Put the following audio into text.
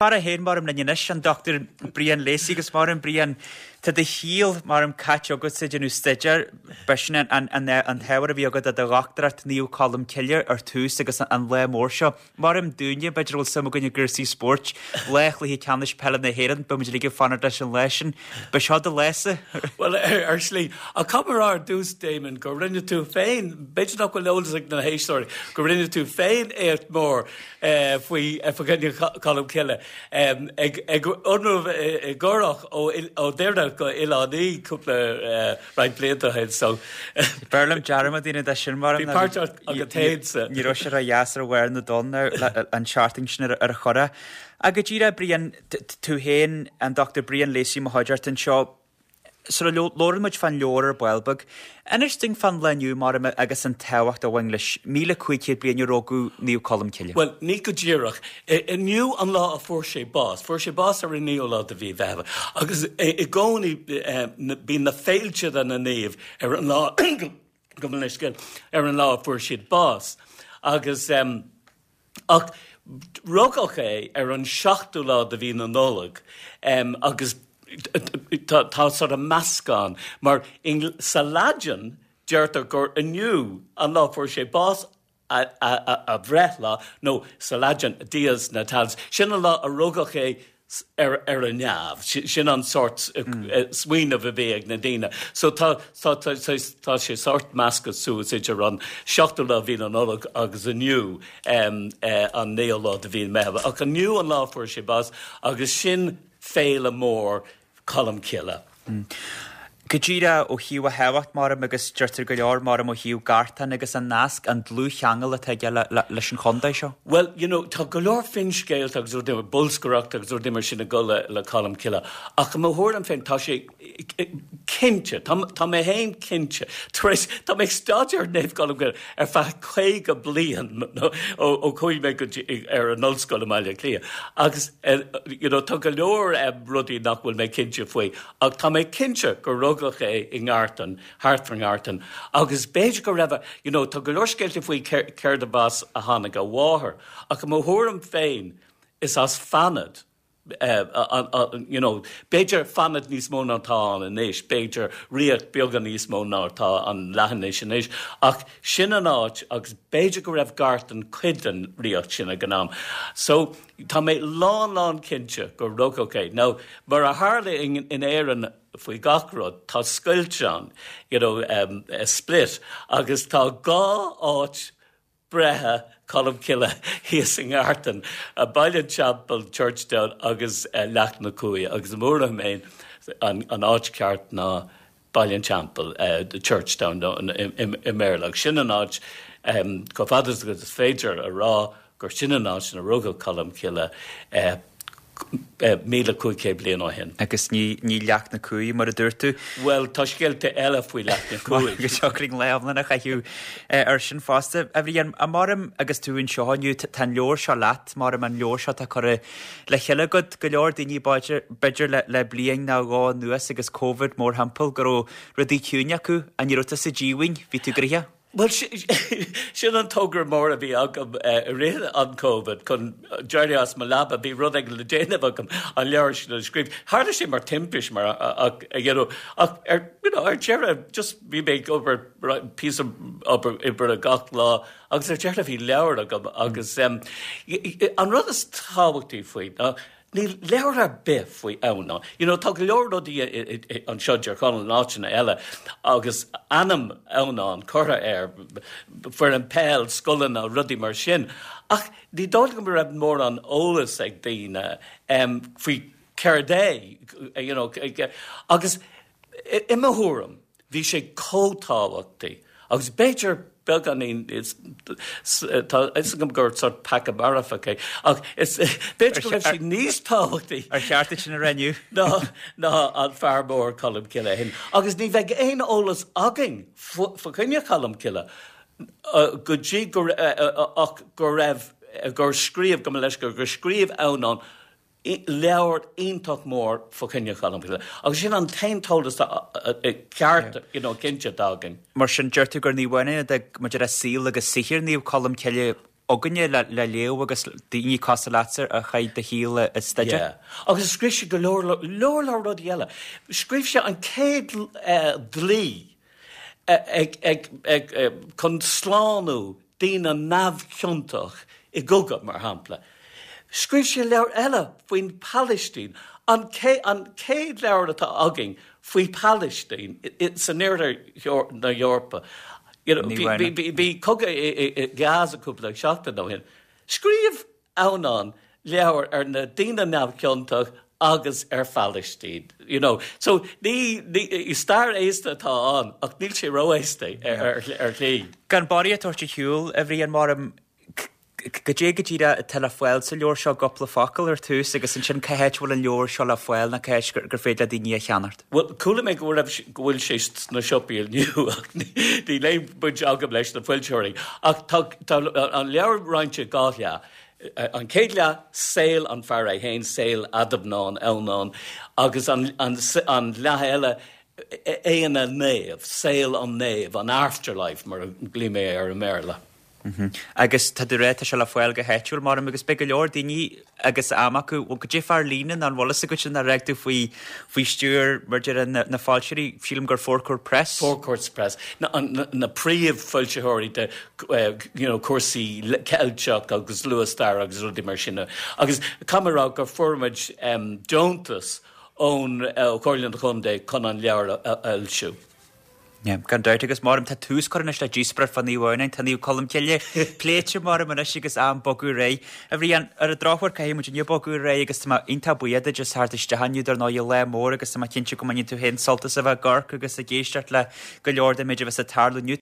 Fear é féin maram linn anois, an Dr Brian Lacey agus maram Brian, tá do shaol maram caite agatsa ag déanamh staidéir, b'shin an an t-ábhar a bhí agat do do dhochtúireacht Naomh Colm Cille ar tús agus an lá mór seo. Maram dúinne, b'fhéidir a bhfuil suim againn i gcúrsaí spóirt, lá chluiche ceannais peile na hÉireann, beidh muid uilig ag fanacht leis an lá sin. Ba seo do lá-sa? Bhuel, ar shlí. Ach caithfidh mé a rá ar dtús, Damon, gur rinne tú féin, b'fhéidir nach bhfuil eolas ag na héisteoirí, go rinne tú féin éacht mór faoi fá choinne Colm Cille ag ionramh i gcurach ó Dhoire go Oileán Í cúpla roinnt blianta ó shin so. B'fhearr liom dearmad a dhéanamh de sin mar Bhí páirt agat féin sa. Ní raibh sé ró-dheas ar bharr na dtonn an tseachtain sin ar an churach. Ach go díreach Brian, tú féin, an Dr Brian Lacey mo chuideachta anseo, Sula labhrann muid fán leabhar ar ball beag, inis dúinn fán lá inniu mar agus an tábhacht a bhain leis, 1,500 bliain ó rugadh Naomh Colm Cille. Bhuel, ní go díreach. Inniu an lá a fuair sé bás. Fuair sé bás ar an naoú lá de mhí Mheitheamh. Agus i gcónaí bíonn na féilte do na naoimh ar an lá, gabh mo leithscéal, ar an lá a fuair siad bás. Agus. Ach rugadh é ar an seachtú lá de mhí na Nollag agus tá sort of meascán mar sa Laidin deirtear gur inniu an lá fuair sé bás a bhreithlá nó sa Laidin dies natalis, sin an lá a rugadh é ar ar an neamh. Sin an sórt smaoineamh a bhí ag na daoine. So tá tá tá tá sé sórt measctha suas idir an seachtú lá de mhí na Nollag agus inniu an naoú lá de mhí Meitheamh. Ach inniu an lá a fuair sé bás agus sin féile mór Colm Cille. Go díreach ó thaobh a thábhacht maram agus deirtear go leor maram ó thaobh Gartán agus an nasc, an dlúthcheangal atá aige leis an chontae seo. Bhuel, you know, tá go leor finscéalta agus rudaí mar, bolscaireacht agus rudaí mar sin ag dul le, le Colm Cille. Ach i mo thuairim féin, tá sé cinnte, tá, tá mé féin cinnte, tar éis, tá mé ag staidéar Naomh Colm Cille ar feadh 50 bliain ó, ó chuaigh mé go dtí, ar an ollscoil i mBaile Átha Cliath. Agus, you know, tá go leor rudaí nach bhfuil mé cinnte faoi. Ach tá mé cinnte gur rugadh é i nGartan, thart fán nGartan, agus b'fhéidir go raibh a, you know, tá go leor scéalta faoi céard as a tháinig a mháthair, ach i mo thuairim féin, is as Fanad, you know, b'fhéidir Fanad níos mó ná atá ann anois, b'fhéidir ríocht beagán níos mó ná atá an leathinis anois, ach sin an áit agus b'fhéidir go raibh Gartan cuid den ríocht sin ag an am. So, Tá mé lán lán cinnte gur rugadh é. Now, mar a tharla in Éirinn faoi gach rud, tá scoilt ann, you know, a split, agus tá dhá áit breithe Colm Cille thíos i nGartan, Baile an Teampaill, Churchtown agus Leacht na Cuaille, agus i mo thuairim féin an áit ceart ná Baile an Teampaill, Churchtown i mBéarla, agus sin an áit, chomh fada agus is féidir a rá, gur sin an áit ina rugadh Colm Cille 1,500 bliain ó shin. Agus ní Leacht na Cuaille, mar a dúirt tú. Bhuel, tá scéalta eile faoi Leacht na Cuaille. Go dtiocfaidh linn lá iomlán a chaitheamh air sin fosta. A Bhriain, maram agus tú anseo inniu, tá an leabhar seo leat, maram an leabhar seo atá curtha le chéile agat, go leor daoine b'fhéidir le bliain nó dhó anuas agus Covid mórthimpeall go raibh rudaí ciúin acu, ach ní raibh tusa díomhaoin, bhí tú gnoitheach. Bhuel, sin an togra mór a bhí agam i rith an Covid, chun d'éirí as mo leaba, bhí rud éigin le déanamh agam, an leabhar sin a scríobh. Tharla sé mar timpiste, mar ach, you know, ach ar, you know, ar deireadh, just bhí mé ag obair píosa obair oibre gach lá Agus ar deireadh bhí leabhar agam agus an rud is tábhachtaí faoi ná níl leabhar ar bith faoi Adhamhnán. You know, tá go leor rudaí anseo i dTír Chonaill in áiteanna eile agus ainm Adhamhnán curtha air, foireann peil, scoileanna, rudaí mar sin. Ach ní dóigh liom go raibh mórán eolas ag daoine faoi céard é, you know, agus I mo thuairim, bhí sé chomh tábhachtaí, agus b'fhéidir beagáinín, tá a fhios agam gur sort peaca marfach é, ach b'fhéidir go raibh sé níos tábhachtaí. Ar cheart duit sin a rá inniu? ná ná an fear mór Colm Cille féin. Agus ní bheidh aon eolas againn fá choinne Cholm Cille go dtí go ach go raibh, gur scríobh, gabh mo leithscéal, gur scríobh Adhamhnán leabhar iontach mór fá choinne Cholm Cille agus sin an t-aon t-eolas ceart, you know, cinnte atá againn. Mar sin, deir tú gur ní bhaineann maidir le saol agus saothar Naomh Colm Cille. againne le léamh agus daoine cosúil leatsa a chaith do shaol ag staidéar. Yeah. Agus scríobh sé go leor, leor leor rudaí eile. Scríobh sé an chéad dlí ag, ag, ag, chun slánú daoine neamhchiontach i gcogadh, mar shampla. Scríobh sé leabhar eile faoin Phalaistín, an chéad leabhar atá againn faoi Phalaistín san oirthear na hEorpa. Bhí cogadh i Gaza cúpla seachtain ó shin. Scríobh Adhamhnán leabhar ar na daoine neamhchiontach agus ar Phalaistín. You know. So ní, ní, stair aosta atá ann ach níl sé ró-aosta ar, ar shlí. Gan barraíocht a thabhairt ar shiúl, a Bhriain, maram, goidé go díreach atá le fáil sa leabhar seo, gcúpla focal ar tús agus ansin cá háit a bhfuil an leabhar seo le fáil nó cá háit gur féidir le daoine é a cheannacht? Bhuel, chuala mé go raibh, go bhfuil sé sna siopaí inniu ach níl aon bhaint agam leis na foilsitheoirí. Ach tá, tá an leabhar roinnte i dhá leath. An chéad leath, saol an fear é féin, saol Adhamhnán, Adhamhnán, agus an, an, an leath eile, é ina naomh, saol an naoimh, an afterlife mar a ghlaoigh mé air i mBéarla. Agus tá tú ag rá, tá sé le fáil go háitiúil, maram, agus beidh go leor daoine agus am acu, bhuel, goidé fá ar líne nó an bhfuil fhios agat sin ar fhág tú faoi, faoi stiúir, mar deir na, na foilsitheoirí, sílim gur Four Court Press? Four Courts Press, na, na, na príomhfhoilsitheoirí de, you know, cúrsaí Ceilteach agus luath-stair agus rudaí mar sin. Agus caithfidh mé a rá gur fuair muid deontas ón, ó Chomhairle an Chontae chun an leabhar a fhoilsiú. Yeah, gan dabht, agus maram, tá tús curtha anois le díospóireacht fá Naomh Adhamhnáin, tá Naomh Colm Cille pléite maram anois agus am bogadh ar aghaidh. A Bhriain, ar an drochuair caithfidh muid inniu bogadh ar aghaidh agus tá mé iontach buíoch duit as theacht isteach inniu dar ndóigh lá mór agus tá mé cinnte go mbainfidh tú féin sult as a bheith ag amharc agus ag éisteacht le go leor den méid a bheas ag tarlú inniu.